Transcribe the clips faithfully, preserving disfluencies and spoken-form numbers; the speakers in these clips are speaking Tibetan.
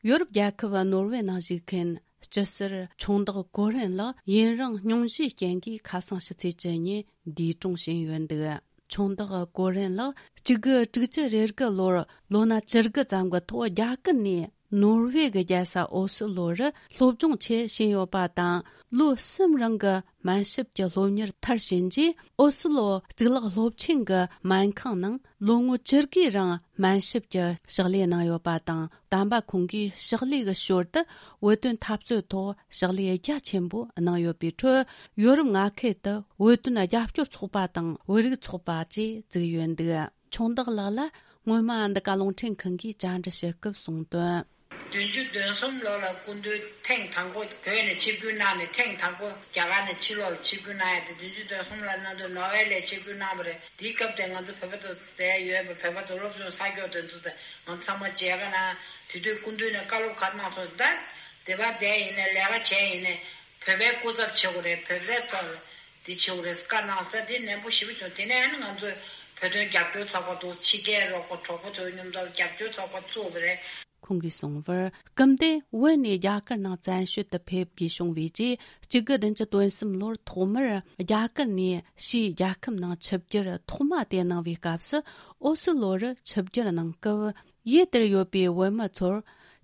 ཡོ་རོབ་རྒྱལ་ཁབ་ནོར་ཝེ་ནང་བཞུགས་མཁན་སྐྱི་སེར་ཆུང་བདག་ཀོ་རེན་ལགས་ཡུན་རིང་སྙུང་གཞིའི་རྐྱེན་གྱིས་ཁ་སང་ཕྱི་ཚེས་བཅུ་ཉིན་འདས་གྲོངས་ཕྱིན་ཡོད་འདུག། ཆུང་བདག་ཀོ་རེན་ལགས་གཅིག་དགུ་དྲུག་ཅུ་རེ་དགུ་ལོར་ལོ་ན་བཅུ་དགུ་ཙམ་གྱི་ཐོག་རྒྱ་གར་ནས་ནོར་ཝེ་གི་རྒྱལ་ས་ཨོ་སི་ལོ་རུ་སློབ་སྦྱོང་ཆེད་ཕྱིན་ཡོད་པ་དང་། ལོ་གསུམ་རིང་གི་སྨན་ཞབས་ཀྱི་སློབ་གཉེར་མཐར་ཕྱིན་རྗེས། ཨོ་སི་ལོ་གཙུག་ལག་སློབ་ཆེན་གྱི་སྨན་ཁང་ནང་ལོ་ངོ་བཅུ་དགུའི་རིང་སྨན་ཞབས་ཀྱི་ཕྱག་ལས་གནང་ཡོད་པ་དང་། དམ་པ་ཁོང་གིས་ཕྱག་ལས་ཀྱི་ཞོར་དུ་བོད་དོན་འཐབ་རྩོད་ཐོག་ཕྱག་ལས་རྒྱ་ཆེན་པོ་གནང་ཡོད་པའི་ཁྲོད། ཡོ་རོབ་མངའ་ཁུལ་དུ་བོད་དོན་རྒྱབ་སྐྱོར་ཚོགས་པ་དང་བོད་རིགས་ཚོགས་པ་བཅས་བཙུགས་ཡོད་འདུག། ཆུང་བདག་ལགས་ལ་སྔོན་མ་འདི་ག་རླུང་འཕྲིན་ཁང་གིས་བཅར་འདྲི་ཞུ་སྐབས་གསུངས་དོན། བདུན་ཅུ་དོན་གསུམ་ལོ་ལ་སྐུ་མདུན་ཐེངས་དང་པོ་བོད་ནས་ཆིབས་བསྒྱུར་གནང་ནས། ཐེངས་དང་པོ་རྒྱ་གར་ནས་ཕྱི་ལོགས་ལ་ཆིབས་བསྒྱུར་གནང་ཡ་དེ། བདུན་ཅུ་དོན་གསུམ་ལ་གནང་དུས་ནོར་ཝེ་ལ་ཆིབས་བསྒྱུར་གནང་བ་རེད། དེའི་སྐབས་དེ་ང་ཚོ་བོད་པ་ཚོ་དེ་ཡོད་པ། བོད་པ་ཚོ་སློབ་སྦྱོང་ས་སྐྱོར་དེ་ཚོ་དེ་ང་ཚོ་ཚང་མ་མཇལ་ཁ་གནང་། དེ་དུས་སྐུ་མདུན་ནས་བཀའ་སློབ་ག་རེ་གནང་སོང་ཟེར་ན། དེ་བ་དེ་ཡིན་ནས་ལས་ཀ་བྱས་ཡིན་ནས་བོད་པའི་སྐུ་ཚབ་བྱེད་དགོས་རེད། བོད་པའི་ཐོག་ལ་དེ་བྱེད་དགོས་རེད་བཀའ་གནང་སོང་། དེ་ནན་པོ་ཞེ་པོ་བྱུང་། དེ་ནས་ཨ་ནི་ང་ཚོས་བོད་དོན་རྒྱབ་སྐྱོར་ཚོགས་པ་དང་། ཕྱི་རྒྱལ་རོགས་པ་གྲོགས་པོ་ཚོའི་མཉམ་དུ་རྒྱབ་སྐྱོར་ཚོགས་པ་བཙུགས་པ་རེད། ཁོང་གིས་གསུངས་པར། སྐུ་མདུན་བོད་ནས་རྒྱ་གར་ནང་བཙན་བྱོལ་དུ་ཕེབས་དགོས་བྱུང་བའི་རྗེས། གཅིག་དགུ་བདུན་ཅུ་དོན་གསུམ་ལོར་ཐོག་མར་རྒྱ་གར་ནས་ཕྱིའི་རྒྱལ་ཁབ་ནང་ཆིབས་བསྒྱུར་ཐོག་མ་དེ་གནང་བའི་སྐབས་སུ། ཨོ་སི་ལོ་རུ་ཆིབས་བསྒྱུར་གནང་སྐབས། ཡུལ་དེར་ཡོད་པའི་བོད་མི་ཚོར།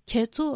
ཁྱེད་ཚོ་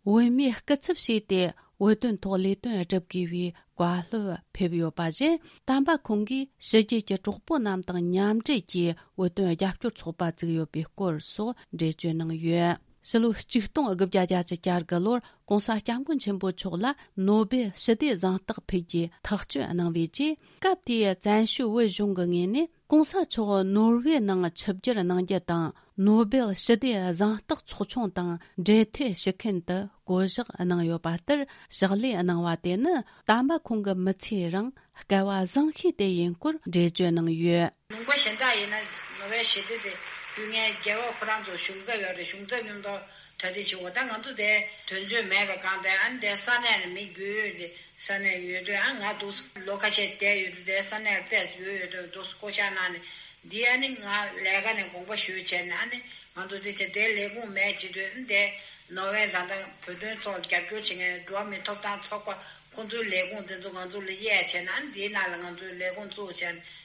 བོད་མིའི་སྐུ་ཚབ་བྱས་ཏེ་བོད་དོན་ཐོག་ལས་དོན་བསྒྲུབ་དགོས་པའི་བཀའ་སློབ་ཕེབས་ཡོད་པ་བཞིན། དམ་པ་ཁོང་གིས་ཕྱི་རྒྱལ་གྱི་གྲོགས་པོ་རྣམས་དང་མཉམ་འབྲེལ་གྱིས་བོད་དོན་རྒྱབ་སྐྱོར་ཚོགས་པ་བཙུགས་ཡོད་པའི་སྐོར་སོགས་འགྲེལ་བརྗོད་གནང་ཡོད། ཕྱི་ལོ་ཆིག་སྟོང་དགུ་བརྒྱ་བརྒྱད་ཅུ་གྱ་དགུ་ལོར་༸གོང་ས་༸སྐྱབས་མགོན་ཆེན་པོ་མཆོག་ལ་ནོ་སྦེལ་ཞི་བདེ་གཟེངས་རྟགས་ཕུལ་རྒྱུའི་ཐག་གཅོད་གནང་བའི་རྗེས། སྐབས་དེའི་བཙན་བྱོལ་བོད་གཞུང་གི་ངོས་ནས། ༸གོང་ས་མཆོག་ནོར་ཝེ་ནང་ཆིབས་བསྒྱུར་གནང་རྒྱུ་དང་། ནོ་སྦེལ་ཞི་བདེ་གཟེངས་རྟགས་ཚོགས་ཆུང་དང་འབྲེལ་མཐུད་ཞུ་མཁན་དུ་བསྐོ་གཞག་གནང་ཡོད་པ་ལྟར། ཕྱག་ལས་གནང་བ་དེ་ནི་དམ་པ་ཁོང་གི་མི་ཚེའི་རིང་སྐལ་བ་བཟང་ཤོས་དེ་ཡིན་སྐོར་འགྲེལ་བརྗོད་གནང་ཡོད། ལུང་པ་གཞན་དག་ཡིན་ན་ནོ་སྦེལ་ཞི་བདེ་དེ་ཕུལ་མཁན་རྒྱལ་བ་ཁོ་རང་ཚོ་གཞུང་ཚབ་ཡོད་རེད། གཞུང་ཚབ་མཉམ་དུ་གྲ་སྒྲིག་བྱེད་དགོས། ད་ང་ཚོ་དེ་དོན་ཚོད་མེད་པ་གང་དེ། ཨ་ནི་དེ་ས་གནས་ནས་མི་རྒྱུས་ཡོད་དེ། ས་གནས་ཡོད་དུས། ཨ་ང་འདུག་ལོ་ཁ་ཤས་བསྡད་ཡོད་དུས། དེ་ས་གནས་ལ་ཏོག་ཙམ་ཡོད་ཡོད་དུས་འདུག་བསྐོ་བཞག་གནང་ནས། འདི་ཨ་ནི་ང་ལས་ཀ་ནས་དགོངས་པ་ཞུས་བྱས་ནས། ཨ་ནི་ང་ཚོ་དེ་བྱས་དེ་ལས་ཁུངས་མེད་བྱེད་དུས། ཨ་ནི་དེ་ནོར་ཝེ་ད་ལྟ་བོད་དོན་ཐོག་རྒྱབ་སྐྱོར་བྱེད་མཁན་འགྲོ་བ་མིའི་ཐོབ་ཐང་ཚོགས་པ་ཁོང་ཚོའི་ལས་ཁུངས་དེ་ཚོ་ང་ཚོ་ལ་གཡར་བྱས་ནས། ཨ་ནི་དེའི་ནང་ལ་ང་ཚོའི་ལས་ཁུངས་བཙུགས་བྱས་ནས།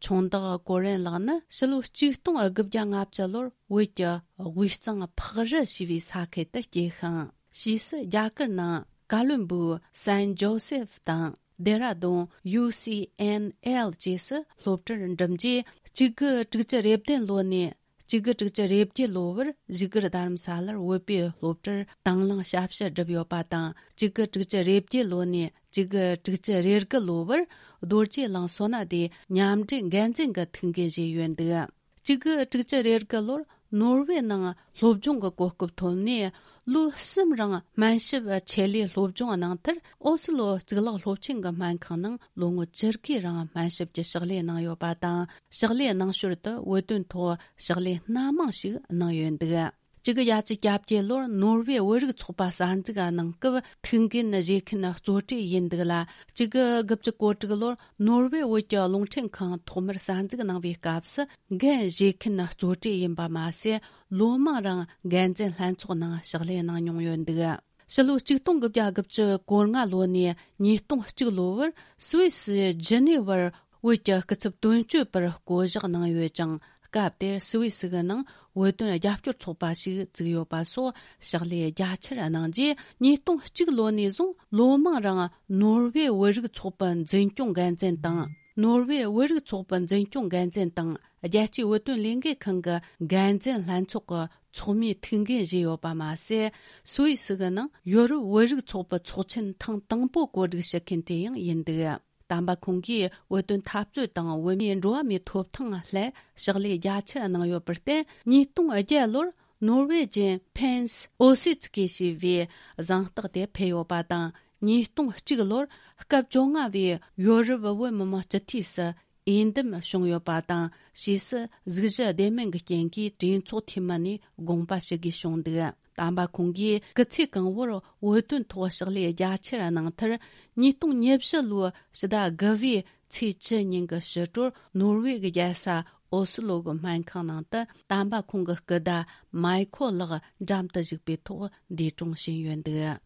ཆུང་བདག་ཀོ་རེན་ལགས་ནི་ཕྱི་ལོ་ཆིག་སྟོང་དགུ་བརྒྱ་ལྔ་བཅུ་ལོར་བོད་ཀྱི་དབུས་གཙང་ཕག་རི་ཞེས་པའི་ས་ཁུལ་དུ་སྐྱེས་ཤིང་། ཕྱིས་སུ་རྒྱ་གར་ནང་ཀ་ལོན་སྦུག་སན་ཇོ་སེབ་དང་ལྡེ་ར་ལྡུན་ཡུ་སི་ཨེན་ཨེལ་བཅས་སུ་སློབ་གྲྭར་འགྲིམས་རྗེས། གཅིག་དགུ་དྲུག་ཅུ་རེ་བདུན་ལོ་ནས་གཅིག་དགུ་དྲུག་ཅུ་རེ་བརྒྱད་ལོ་བར་བཞུགས་སྒར་རྡ་རམ་ས་ལར་བོད་པའི་སློབ་གྲྭར་དང་བླངས་ཞབས་ཞུ་བསྒྲུབས་ཡོད་པ་དང་། གཅིག་དགུ་དྲུག་ཅུ་རེ་བརྒྱད་ལོ་ནས་གཅིག་དགུ་དྲུག་ཅུ་རེ་དགུ་ལོ་བར་རྡོ་རྗེ་གླིང་སོ་ན་སྡེའི་མཉམ་འབྲེལ་འགན་འཛིན་གྱི་ཐུགས་འགན་བཞེས་ཡོད་འདུག། གཅིག་དགུ་དྲུག་ཅུ་རེ་དགུ་ལོར་ནོར་ཝེ་ནང་སློབ་སྦྱོང་གི་གོ་སྐབས་ཐོབ་ནས། ལོ་གསུམ་རིང་སྨན་ཞབས་ཆེད་ལས་སློབ་སྦྱོང་གནང་མཐར། ཨོ་སི་ལོ་གཙུག་ལག་སློབ་ཆེན་གྱི་སྨན་ཁང་ནང་ལོ་ངོ་བཅུ་དགུའི་རིང་སྨན་ཞབས་ཀྱི་ཕྱག་ལས་གནང་ཡོད་པ་དང་། ཕྱག་ལས་གནང་ཞོར་དུ་བོད་དོན་ཐོག་ཕྱག་ལས་སྣ་མང་ཞིག་གནང་ཡོད་འདུག། གཅིག་དགུ་བརྒྱད་ཅུ་གྱ་བརྒྱད་ལོར་ནོར་ཝེ་བོད་རིགས་ཚོགས་པ་གསར་འཛུགས་གནང་སྐབས་ཐུགས་འགན་བཞེས་མཁན་གཙོ་གྲས་ཡིན་འདུག་ལ། གཅིག་དགུ་དགུ་བཅུ་གོ་དྲུག་ལོར་ནོར་ཝེ་བོད་ཀྱི་རླུང་འཕྲིན་ཁང་ཐོག་མར་གསར་འཛུགས་གནང་བའི་སྐབས་སུ། འགན་བཞེས་མཁན་གཙོ་གྲས་ཡིན་པ་མ་ཟད། ལོ་མང་རིང་འགན་འཛིན་ལྷན་ཚོགས་ནང་ཕྱག་ལས་གནང་མྱོང་ཡོད་འདུག། ཕྱི་ལོ་ཆིག་སྟོང་དགུ་བརྒྱ་དགུ་བཅུ་གོ་ལྔ་ལོ་ནས་ཉིས་སྟོང་གཅིག་ལོ་བར་སུད་སི་ཇི་ནི་ཝར་བོད་ཀྱི་སྐུ་ཚབ་དོན་གཅོད་པར་བསྐོ་གཞག་གནང་ཡོད་ཅིང་། སྐབས་དེར་སུད་སི་གི་ནང་བོད་དོན་རྒྱབ་སྐྱོར་ཚོགས་པ་ཞིག་བཙུགས་ཡོད་པ་སོགས་ཕྱག་ལས་རྒྱ་ཆེར་གནང་རྗེས། ཉིས་སྟོང་གཅིག་ལོ་ནས་བཟུང་ལོ་མང་རིང་ནོར་ཝེ་བོད་རིགས་ཚོགས་པའི་འཛིན་སྐྱོང་འགན་འཛིན་དང་། ནོར་ཝེ་བོད་རིགས་ཚོགས་པའི་འཛིན་སྐྱོང་འགན་འཛིན་དང་། རྒྱལ་སྤྱིའི་བོད་དོན་ལས་འགུལ་ཁང་གི་འགན་འཛིན་ལྷན་ཚོགས་ཀྱི་ཚོགས་མིའི་ཐུགས་འགན་བཞེས་ཡོད་པ་མ་ཟད། སུད་སི་གི་ནང་ཡོ་རོབ་བོད་རིགས་ཚོགས་པའི་ཚོགས་ཆེན་ཐེངས་དང་པོ་གོ་སྒྲིག་ཞུ་མཁན་དེ་ཡང་ཡིན་འདུག། དམ་པ་ཁོང་གིས་བོད་དོན་འཐབ་རྩོད་དང་བོད་མིའི་འགྲོ་བ་མིའི་ཐོབ་ཐང་སླད་ཕྱག་ལས་རྒྱ་ཆེར་གནང་ཡོད་པར་བརྟེན། ཉིས་སྟོང་བརྒྱད་ལོར་ནོར་ཝེ་ཅན་ཕེན་སི་ཨོ་སི་ཙི་ཀེ་ཞེས་པའི་གཟེངས་རྟགས་དེ་ཕུལ་ཡོད་པ་དང་། ཉིས་སྟོང་གཅིག་ལོར་སྐབས་བཅོ་ལྔ་བའི་ཡོ་རོབ་བོད་མི་མང་སྤྱི་འཐུས་སུ་འོས་འདེམས་བྱུང་ཡོད་པ་དང་། ཕྱིས་སུ་གཟུགས་གཞི་བདེ་མིན་གྱི་རྐྱེན་གྱིས་གྲོས་ཚོགས་འཐུས་མི་ནས་དགོངས་པ་ཞུ་དགོས་བྱུང་འདུག། དམ་པ་ཁོང་གིས་སྐུ་ཚེ་གང་བོར་བོད་དོན་ཐོག་ཕྱག་ལས་རྒྱ་ཆེར་གནང་མཐར། ཉིས་སྟོང་ཉེར་བཞི་ལོའི་ཕྱི་ཟླ་དགུ་བའི་ཚེས་བཅུ་ཉིན་གྱི་ཕྱི་དྲོར་ནོར་ཝེ་གི་རྒྱལ་ས་ ཨོ་སི་ལོ་གི་སྨན་ཁང་ནང་དུ་དམ་པ་ཁོང་གི་སྐུ་ཟླ་མའི་ཁོ་ལགས་འགྲམ་དུ་བཞུགས་པའི་ཐོག་འདས་གྲོངས་ཕྱིན་ཡོད་འདུག།